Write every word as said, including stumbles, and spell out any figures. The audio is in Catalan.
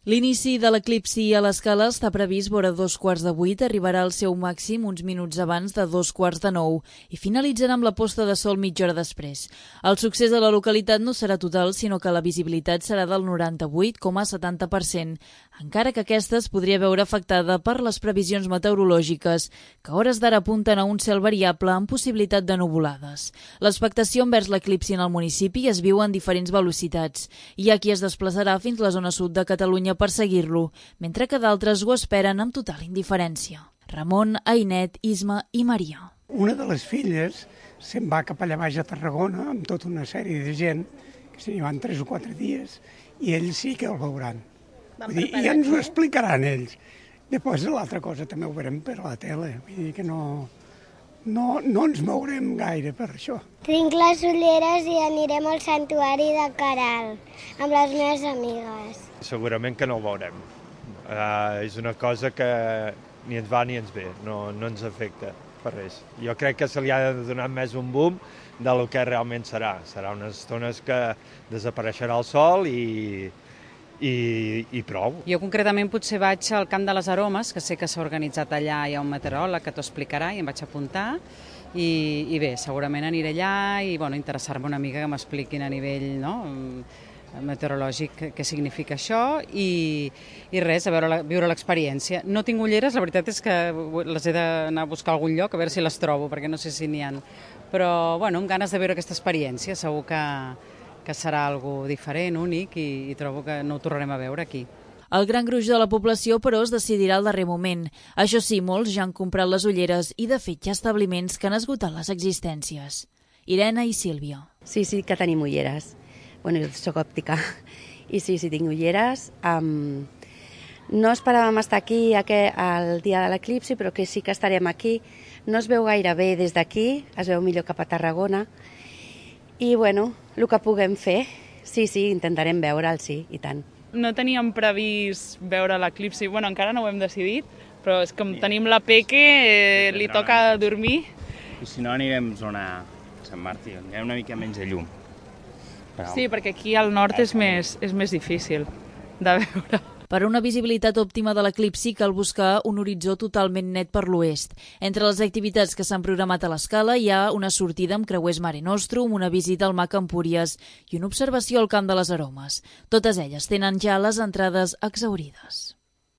L'inici de l'eclipsi a l'Escala està previst vora dos quarts de vuit, arribarà al seu màxim uns minuts abans de dos quarts de nou i finalitzarà amb la posta de sol mitja hora després. El succés de la localitat no serà total, sinó que la visibilitat serà del noranta-vuit coma setanta per cent, encara que aquesta es podria veure afectada per les previsions meteorològiques, que a hores d'ara apunten a un cel variable amb possibilitat de nuvolades. L'expectació envers l'eclipsi en el municipi es viu en diferents velocitats. Hi ha qui es desplaçarà fins la zona sud de Catalunya per seguir-lo, mentre que d'altres ho esperen amb total indiferència. Ramon, Ainet, Isma i Maria. Una de les filles se'n va cap allà baix a Tarragona amb tota una sèrie de gent, que se n'hi van tres o quatre dies, i ells sí que el veuran. Vull dir, ja ens ho explicaran ells. Després l'altra cosa també ho veurem per la tele, vull dir que no, no, no ens mourem gaire per això. Tinc les ulleres i anirem al santuari de Caral amb les meves amigues. Segurament que no ho veurem. Uh, és una cosa que ni ens va ni ens ve, no, no ens afecta per res. Jo crec que se li ha de donar més un boom del que realment serà. Serà unes estones que desapareixerà el sol i, i, i prou. Jo concretament potser vaig al Camp de les Aromes, que sé que s'ha organitzat allà, hi ha un meteoròleg que t'ho explicarà i em vaig apuntar. I, i bé, segurament aniré allà i bueno, interessar-me una mica que m'expliquin a nivell, no?, meteorològic què significa això i, i res, a veure, viure l'experiència. No tinc ulleres, la veritat és que les he d'anar a buscar a algun lloc a veure si les trobo, perquè no sé si n'hi ha. Però bueno, amb ganes de veure aquesta experiència, segur que, que serà algo diferent, únic i, i trobo que no ho tornarem a veure aquí. El gran gruix de la població, però, es decidirà al darrer moment. Això sí, molts ja han comprat les ulleres i, de fet, hi ha establiments que han esgotat les existències. Irene i Sílvia. Sí, sí que tenim ulleres. Bueno, jo soc òptica i sí, sí, tinc ulleres. Um, no esperàvem estar aquí el dia de l'eclipsi, però que sí que estarem aquí. No es veu gaire bé des d'aquí, es veu millor cap a Tarragona. I, bueno, el que puguem fer, sí, sí, intentarem veure'l, sí, i tant. No teníem previst veure l'eclipsi, bueno, encara no ho hem decidit, però és com tenim la Peque, eh, li toca dormir. I si no anirem a zona Sant Martí, on hi ha una mica menys de llum. Però... Sí, perquè aquí al nord és més, és més difícil de veure. Per a una visibilitat òptima de l'eclipsi cal buscar un horitzó totalment net per l'oest. Entre les activitats que s'han programat a l'Escala hi ha una sortida amb creuers Mare Nostrum, una visita al Mac Empúries i una observació al Camp de les Aromes. Totes elles tenen ja les entrades exhaurides.